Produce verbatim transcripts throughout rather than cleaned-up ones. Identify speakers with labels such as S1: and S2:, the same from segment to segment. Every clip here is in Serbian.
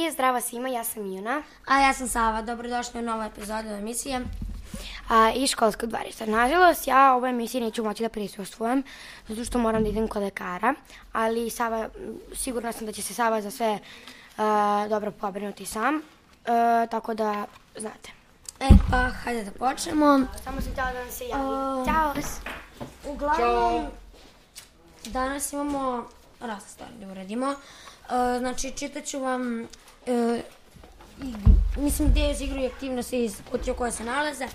S1: I zdravo svima, ja sam Ijuna.
S2: A ja sam Sava, dobrodošli u novu epizodu emisije.
S1: A, I školskog dvorišta. Nažalost, ja ovoj emisiji neću moći da prisustvujem, zato što moram da idem kod lekara, ali Sava, sigurna sam da će se Sava za sve a, dobro pobrinuti sam, a, tako da, znate.
S2: E pa, hajde da počnemo.
S1: Samo sam htjela da vam se javim.
S2: Uh,
S1: Ćao!
S2: Uglavnom, danas imamo razne stvari da uradimo. Uh, znači, čitat ću vam, uh, igru, mislim, gdje iz igru i aktivnosti iz kutije koje se nalaze.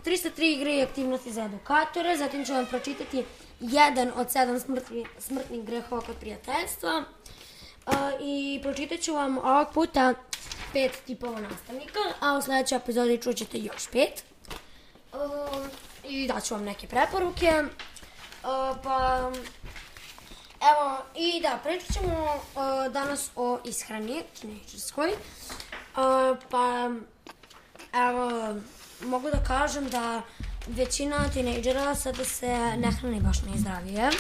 S2: trista tri igre i aktivnosti za edukatore, zatim ću vam pročitati jedan od sedam smrtni, smrtnih grehova kod prijateljstva. Uh, I pročitat ću vam ovog puta pet tipova nastavnika, a u sljedećoj epizodi čućete još pet. Uh, I daću vam neke preporuke. Uh, pa, evo, i da, pričat ćemo uh, danas o ishrani tinejdžerskoj. Uh, pa, evo, mogu da kažem da većina tinejdžera sada se ne hrani baš najzdravije.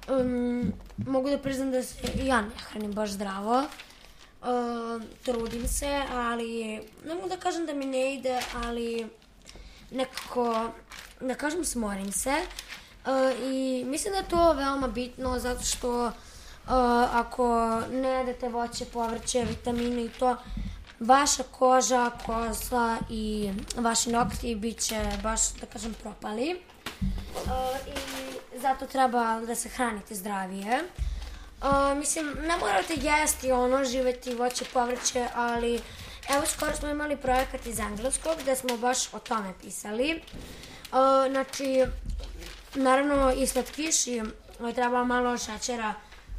S2: Um, mogu da priznam da se i ja ne hranim baš zdravo. Uh, trudim se, ali ne mogu da kažem da mi ne ide, ali nekako, da kažem, smorim se. Uh, I mislim da je to veoma bitno zato što uh, ako ne jedete voće, povrće, vitamine i to, vaša koža, kosa i vaši nokti bit će baš, da kažem, propali. Uh, I zato treba da se hranite zdravije. Uh, mislim, ne morate jesti ono, živeti voće, povrće, ali evo skoro smo imali projekat iz engleskog gde smo baš o tome pisali. Uh, znači, naravno i slatkiši, treba malo šećera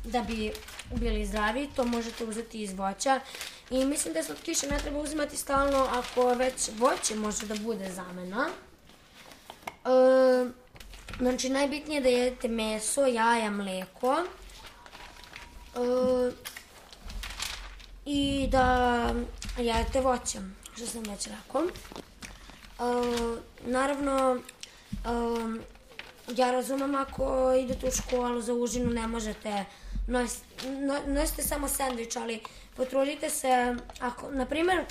S2: da bi bili zdravi, to možete uzeti iz voća. I mislim da slatkiše ne treba uzimati stalno ako već voće može da bude zamena. Uh, znači, najbitnije je da jedete meso, jaja, mleko. Uh, I da jedete voće, što sam već rekao. Uh, naravno, uh, ja razumem ako idete u školu za užinu ne možete nositi, nosite samo sendvič, ali potrudite se, ako, na primjer,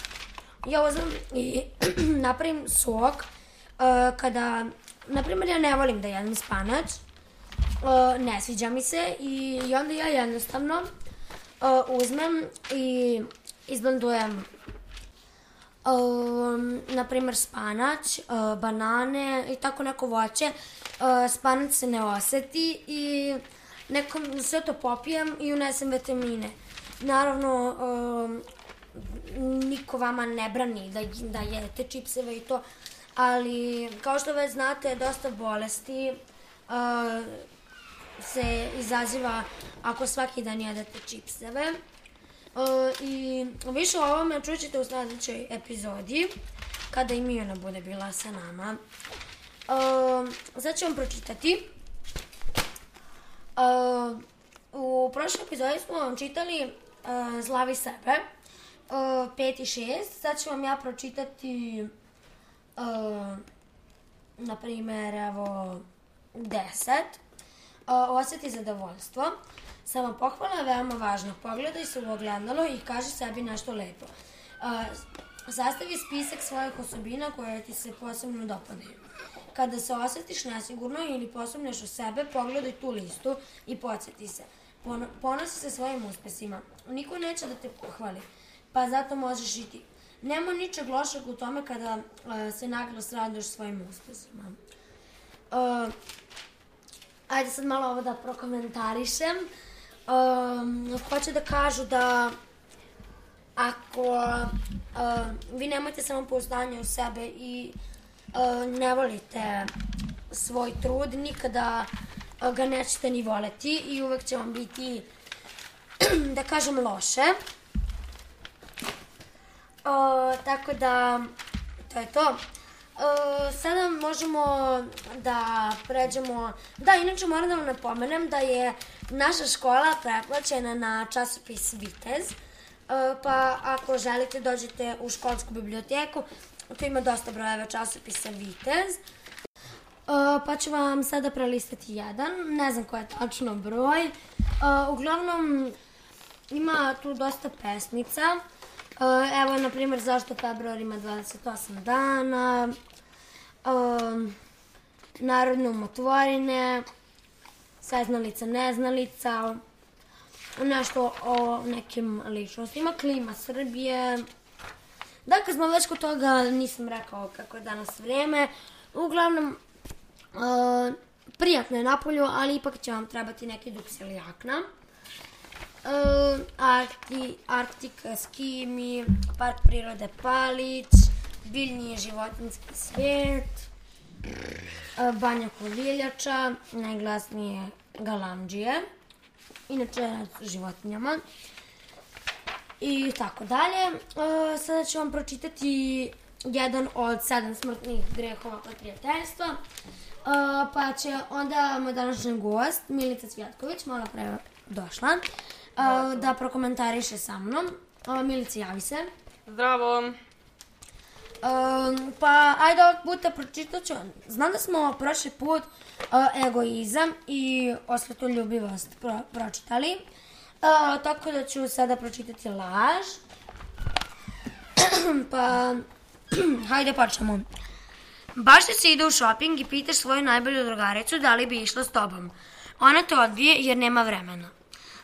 S2: ja uzmem i napravim sok, uh, kada, na primjer, ja ne volim da jedem spanač, uh, ne sviđa mi se i, i onda ja jednostavno uh, uzmem i izblendujem Um, na primjer spanač, uh, banane i tako neko voće. Uh, spanač se ne oseti i neko, sve to popijem i unesem vitamine. Naravno, um, niko vama ne brani da, da jedete čipseve i to, ali kao što već znate, dosta bolesti uh, se izaziva ako svaki dan jedete čipseve. Uh, I više o ovome čućete u sljedećoj epizodi, kada i Mijona bude bila sa nama. Uh, sad ću vam pročitati. Uh, u prošloj epizodi smo vam čitali uh, Zlavi sebe, uh, pet i šest. Sad ću vam ja pročitati, uh, na primjer, evo, deset. Uh, osjeti zadovoljstvo. Sama pohvala je veoma važna. Pogledaj se u ogledalo i kaži sebi nešto lepo. Uh, sastavi spisak svojih osobina koje ti se posebno dopadaju. Kada se osjetiš nesigurno ili posumnjaš u sebe, pogledaj tu listu i podsjeti se. Pon- ponosi se svojim uspesima. Niko neće da te pohvali, pa zato možeš i ti. Nema ničeg lošeg u tome kada uh, se naglas raduješ svojim uspesima. Uh, ajde sad malo ovo da prokomentarišem. Um, hoće da kažu da ako uh, vi nemate samopouzdanje u sebe i uh, ne volite svoj trud, nikada uh, ga nećete ni voleti i uvek će vam biti, da kažem, loše. Uh, tako da, to je to. Uh, sada možemo da pređemo, da, inače moram da vam napomenem da je naša škola pretplaćena na časopis Vitez, uh, pa ako želite dođete u školsku biblioteku, tu ima dosta brojeva časopisa Vitez, uh, pa ću vam sada prelistati jedan, ne znam koji je tačno broj, uh, uglavnom ima tu dosta pesmica. Evo, na primjer, zašto februar ima dvadeset osam dana, narodne umotvorine, saznalica, neznalica, nešto o nekim ličnostima, klima Srbije. Da, kad smo već kod toga, nisam rekao kako je danas vreme. Uglavnom, prijatno je napolju, ali ipak će vam trebati neki duks ili jakna. Arktik, Skimi, Park prirode Palić, biljni i životinjski svijet, Banja Koviljača, najglasnije galamdžije, inače životinjama i tako dalje. Sada ću vam pročitati jedan od sedam smrtnih grehova kod prijateljstva, pa će onda moj današnji gost, Milica Cvjatković, malo pre došla, da prokomentariše sa mnom. Milica, javi se.
S3: Zdravo.
S2: Pa, ajde ovog puta pročitat ću. Znam da smo prošli put egoizam i osvetoljubivost pročitali, tako da ću sada pročitati laž. Pa, hajde počnemo. Baš ti se ide u šoping i pitaš svoju najbolju drugaricu da li bi išla s tobom. Ona te odbije jer nema vremena.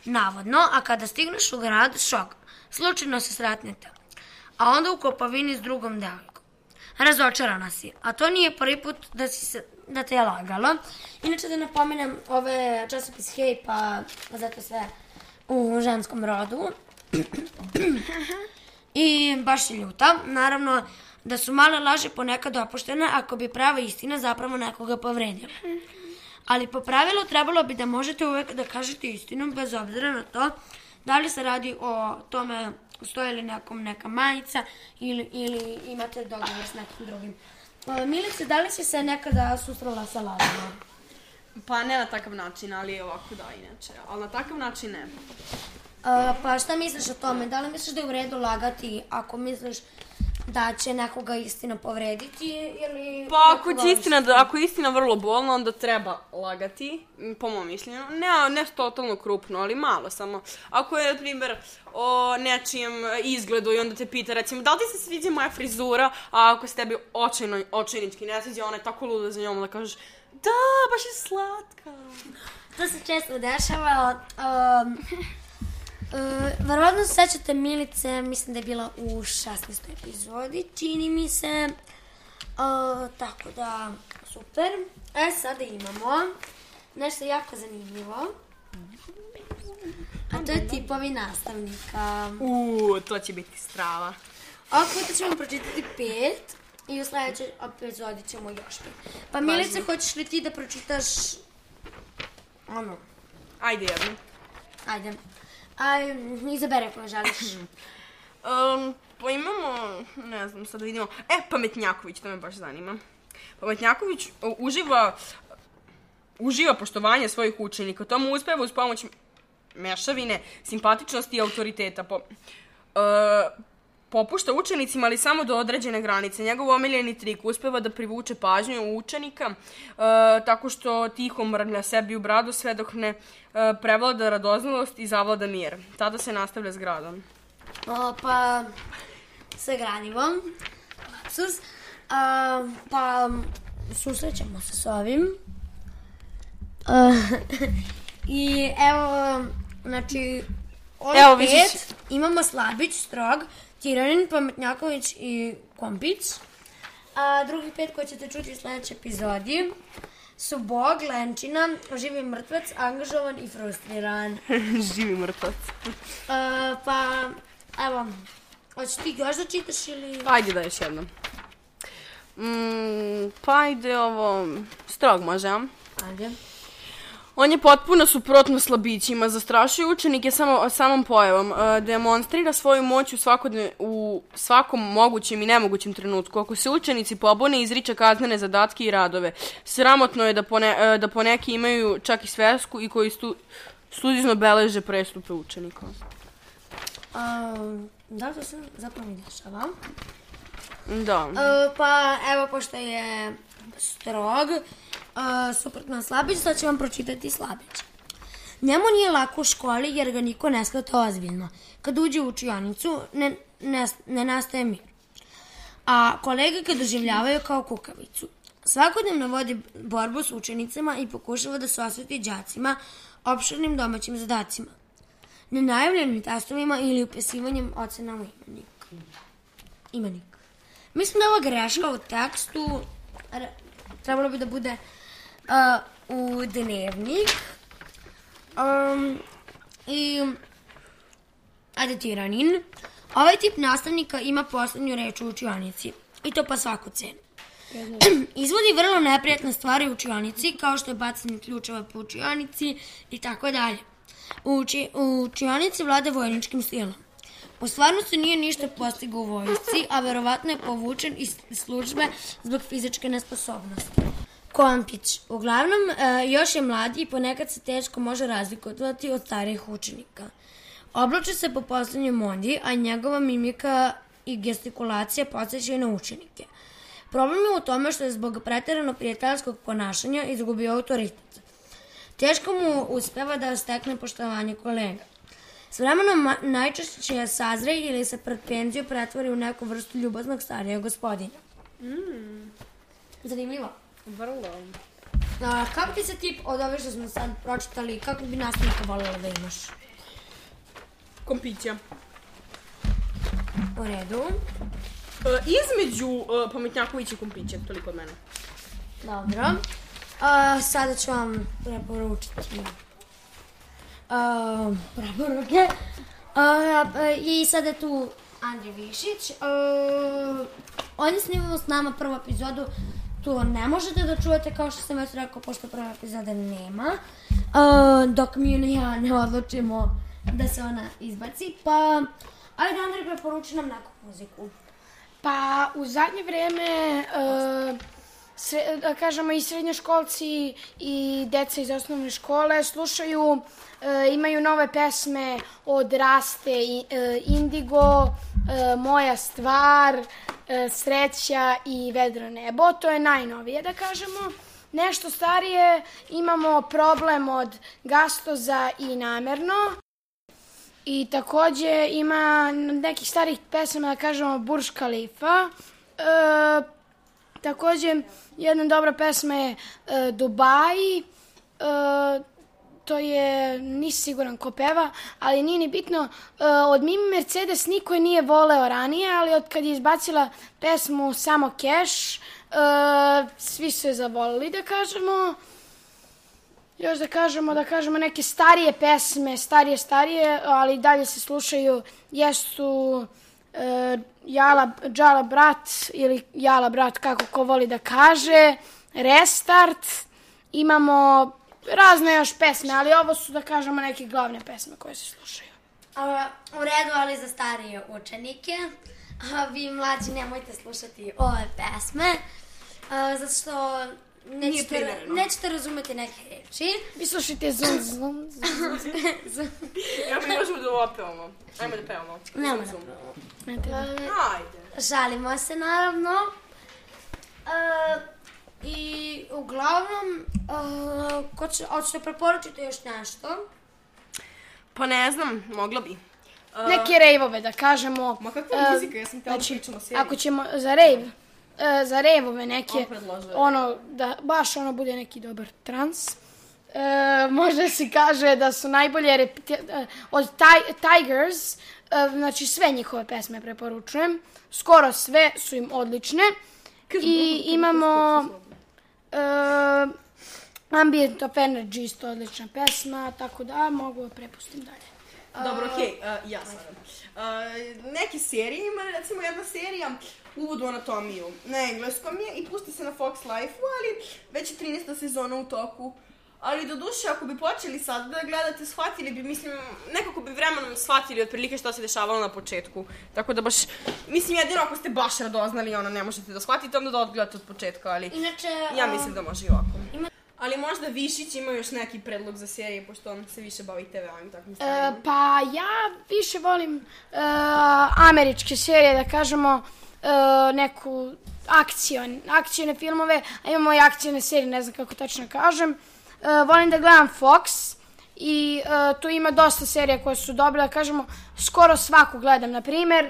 S2: Navodno, a kada stigneš u grad, šok. Slučajno se sretnete. A onda u Kopovini s drugom devojkom. Razočarana si. A to nije prvi put da, si se, da te je lagalo. Inače da napomenem, ove časopis Hej, pa zato sve u ženskom rodu. I baš je ljuta. Naravno da su male laži ponekad opuštene ako bi prava istina zapravo nekoga povredila. Ali po pravilu trebalo bi da možete uvek da kažete istinu bez obzira na to da li se radi o tome stoji li nekom neka majica ili, ili imate dogovor s nekim drugim. Milice, da li si se nekada susrela sa lažima?
S3: Pa ne na takav način, ali ovako da, inače. Ali na takav način ne.
S2: A, pa šta misliš o tome? Da li misliš da je u redu lagati ako misliš da će nekoga istina povrediti ili...
S3: Pa ako je istina, da, ako je istina vrlo bolna, onda treba lagati, po mom mišljenju. Ne, ne totalno krupno, ali malo samo. Ako je, na primjer, o nečijem izgledu i onda te pita, recimo, da li ti se sviđa moja frizura, a ako se tebi očajno, očajnički ne sviđa, ona je tako luda za njom da kažeš, da, baš je slatka.
S2: To se često dešava. Um, Uh, verovatno se sećate Milice, mislim da je bila u šesnaestoj epizodi, čini mi se, uh, tako da, super. E, sada imamo nešto jako zanimljivo, a to je tipovi nastavnika.
S3: Uuu, to će biti strava.
S2: Ovog puta ćemo pročitati pet i u sledećoj epizodi ćemo još pet. Pa Milice, hoćeš li ti da pročitaš ono?
S3: Ajde jedno.
S2: Ajde. A izabere koju želiš.
S3: um, pa imamo, ne znam, sad da vidimo. E, Pametnjaković, to me baš zanima. Pametnjaković uživa, uživa poštovanje svojih učenika. To mu uspeva uz pomoć mešavine, simpatičnosti i autoriteta. Po, uh, popušta učenicima, ali samo do određene granice. Njegov omiljeni trik uspeva da privuče pažnju učenika uh, tako što tiho mrlja sebi u bradu sve dok ne uh, prevlada radoznalost i zavlada mir. Tada se nastavlja s gradom.
S2: O, pa, sa gradivom. Lapsus. Uh, pa, susrećemo se s ovim. Uh, I evo, znači, ovih
S3: evo,
S2: pet
S3: vidiš...
S2: imamo Slabić, Strog, Tiranin, Pametnjaković i Kompić. A drugih pet koji ćete čuti u sledećoj epizodi su Bog, Lenčina, Živi mrtvac, Angažovan i Frustriran.
S3: Živi mrtvac.
S2: A, pa, evo, hoćeš ti još da čitaš ili...
S3: Ajde da još jednom. Mm, pa ajde ovo... Strog može, a?
S2: Ajde.
S3: On je potpuno suprotno slabićima, zastrašuje učenike samo, samom pojavom, uh, demonstrira svoju moć u, u svakom mogućem i nemogućem trenutku. Ako se učenici pobune, izriče kaznene zadatke i radove. Sramotno je da, pone, uh, da poneki imaju čak i svesku i koji stu, studizno beleže prestupe učenika.
S2: Um, da li to se zapravo mi dešava?
S3: Da.
S2: Uh, pa evo, pošto je Strog, Uh, suprotno Slabić, sad ću vam pročitati Slabić. Njemu nije lako u školi jer ga niko ne shvata ozbiljno. Kad uđe u učionicu, ne, ne, ne nastaje mir. A kolege ga doživljavaju kao kukavicu. Svakodnevno vodi borbu s učenicama i pokušava da se osveti đacima opširnim domaćim zadacima, nenajavljenim testovima ili upisivanjem ocena u imenik. Imenik. Mislim da je ova greška u tekstu trebalo bi da bude uh, u dnevnik um, i adetiranin. Ovaj tip nastavnika ima poslednju reč u učionici i to po svaku cenu. Izvodi vrlo neprijatne stvari u učionici, kao što je bacanje ključeva po učionici i tako dalje. U, uči, u učionici vlada vojničkim stilom. U stvarnosti nije ništa postigao u vojsci, a verovatno je povučen iz službe zbog fizičke nesposobnosti. Kompić. Uglavnom, e, još je mlad i ponekad se teško može razlikovati od starijih učenika. Oblači se po poslednjoj modi, a njegova mimika i gestikulacija podsjećaju na učenike. Problem je u tome što je zbog preterano prijateljskog ponašanja izgubio autoritet. Teško mu uspeva da stekne poštovanje kolega. S vremenom najčešće sazre ili se pred penziju pretvori u neku vrstu ljubaznog starijeg gospodina.
S3: Mm.
S2: Zanimljivo.
S3: Vrlo.
S2: A, kako ti se tip od ove što smo sad pročitali, kako bi nastavnika voljela da imaš?
S3: Kompića.
S2: U redu.
S3: Uh, između uh, Pametnjakovića i Kompića, toliko od mene.
S2: Dobro. Uh, sada ću vam preporučiti uh, preporuke. Uh, uh, I sada je tu Andrej Višić. Uh, on je snimao s nama prvu epizodu. Tu ne možete da čujete, kao što sam već rekao, pošto prva epizoda nema. Uh, dok mi i ja ne odlučimo da se ona izbaci. Pa, ajde Andrej, preporuči nam neku muziku.
S1: Pa u zadnje vreme, uh, sre, da kažemo i srednjoškolci i deca iz osnovne škole slušaju, uh, imaju nove pesme od Raste, i, uh, Indigo, uh, Moja stvar, uh, Sreća i Vedro nebo. To je najnovije, da kažemo. Nešto starije imamo Problem od Gastoza i Namerno. I takođe ima nekih starih pesama, da kažemo, Burj Khalifa. E, takođe, jedna dobra pesma je e, Dubai. E, to je, nisi siguran ko peva, ali nije ni bitno. E, od Mimi Mercedes niko je nije voleo ranije, ali od kad je izbacila pesmu Samo Cash, e, svi su je zavolili, da kažemo. Još da kažemo, da kažemo neke starije pesme, starije, starije, ali dalje se slušaju, jesu e, Jala, Džala brat ili Jala brat, kako ko voli da kaže, Restart, imamo razne još pesme, ali ovo su, da kažemo, neke glavne pesme koje se slušaju.
S2: A, u redu, ali za starije učenike. A, vi mlađi nemojte slušati ove pesme, a, zato što nećete, nećete razumeti neke reči.
S1: Vi slušajte zum, zum, zum, zum.
S3: Ja mi možemo da ovo pevamo. Ajmo da pevamo.
S2: Nemo da pevamo.
S3: Ajde.
S2: Žalimo se, naravno. Uh, I uglavnom, uh, ko će, hoćete preporučiti još nešto?
S3: Pa ne znam, mogla bi. Uh,
S1: Neke rejvove, da kažemo.
S3: Ma kakva
S1: uh,
S3: muzika, ja sam tela
S1: znači,
S3: pričamo seriju.
S1: ako ćemo za rejv, uh, za rejvove neke,
S3: On
S1: ono, da baš ono bude neki dobar trans. Uh, možda se kaže da su najbolje repeti- uh, od taj- Tigers, uh, znači sve njihove pesme preporučujem. Skoro sve su im odlične. I imamo uh, Ambient of Energy, isto odlična pesma, tako da mogu da prepustim dalje.
S3: Dobro, okej, okay, uh, ja sam. Uh, neke serije ima, recimo jedna serija Uvod u anatomiju. Na engleskom je i pusti se na Fox Life-u, ali već je trinaesta sezona u toku. Ali do duše, ako bi počeli sad da gledate, shvatili bi, mislim, nekako bi vremenom shvatili otprilike što se dešavalo na početku. Tako da baš, mislim, jedino ako ste baš radoznali, ono, ne možete da shvatite, onda da odgledate od početka, ali
S2: Inače,
S3: ja mislim da može i ovako.
S2: Ima...
S3: Ali možda Višić ima još neki predlog za serije, pošto on se više bavi te ve-om i takvim
S1: Uh,
S3: stvarima.
S1: pa ja više volim uh, američke serije, da kažemo, uh, neku akcion, akcione filmove, a imamo i akcione serije, ne znam kako tačno kažem. Uh, volim da gledam Fox
S4: i uh, tu ima dosta serija koje su dobre, da kažemo, skoro svaku gledam, na primjer,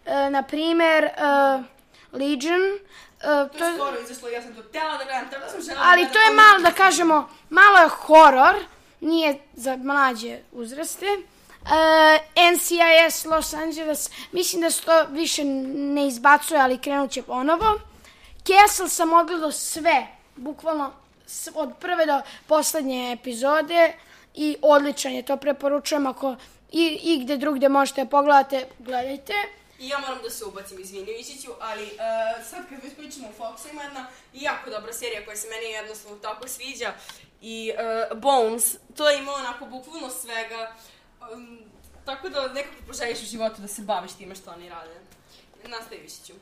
S4: uh, na primjer, uh, Legion. Uh,
S3: To je skoro izašlo, ja sam to htjela da gledam, tako sam žela
S4: ali to je malo, da kažemo, malo je horor, nije za mlađe uzraste. Uh, N C I S Los Angeles, mislim da se to više ne izbacuje, ali krenut će ponovo. Castle sam odgledao sve, bukvalno od prve do poslednje epizode i odličan je, to preporučujem, ako i, i gde drugde možete pogledate, gledajte.
S3: I ja moram da se ubacim, izvini Višiću, ali uh, sad kad već pričamo o Foxu, ima jedna jako dobra serija koja se meni jednostavno tako sviđa i uh, Bones, to ima onako bukvalno svega, um, tako da nekako poželiš u životu da se baviš time što oni rade. Nastavi Višiću.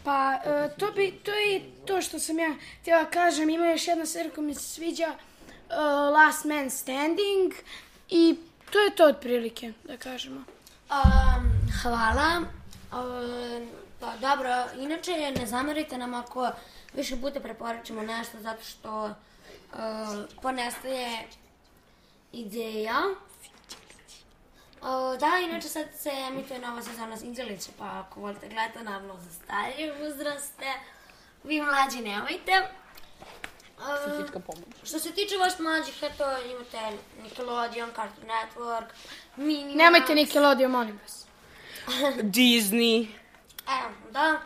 S4: Pa, uh, to, bi, to je to što sam ja htjela kažem, ima još jedna serija koja mi se sviđa, uh, Last Man Standing, i to je to otprilike, da kažemo.
S2: Um, hvala. Um, pa dobro, inače ne zamerite nam ako više puta preporučimo nešto zato što um, ponestaje ideja. Uh, da, inače sad se emituje nova sezona Sinđelića, pa ako volite gledati, naravno za starije uzraste, vi mlađi nemojte. Uh, što se tiče vaš mlađih, eto, imate Nickelodeon, Cartoon Network, Minimax.
S4: Nemojte Nickelodeon, molim vas.
S3: Disney.
S2: Evo, da.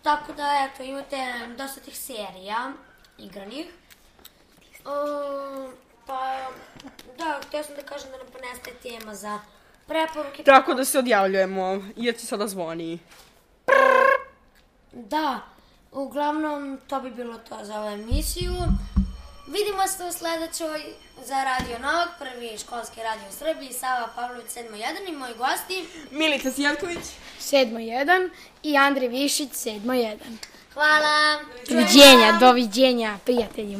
S2: Tako da, eto, imate dosta tih serija igranih. Uh, pa, da, htio sam da kažem da nam ponestaje tema za preporuke.
S3: Tako da se odjavljujemo, jer će sada zvoni.
S2: Da, uglavnom to bi bilo to za ovu emisiju. Vidimo se u sledećoj za Radio Novak, prvi školski radio u Srbiji, Sava Pavlović sedam jedan i moji gosti
S3: Milica Sijatković
S4: sedam jedan i Andrej Višić sedam jedan.
S2: Hvala.
S4: Doviđenja, doviđenja, prijatelji.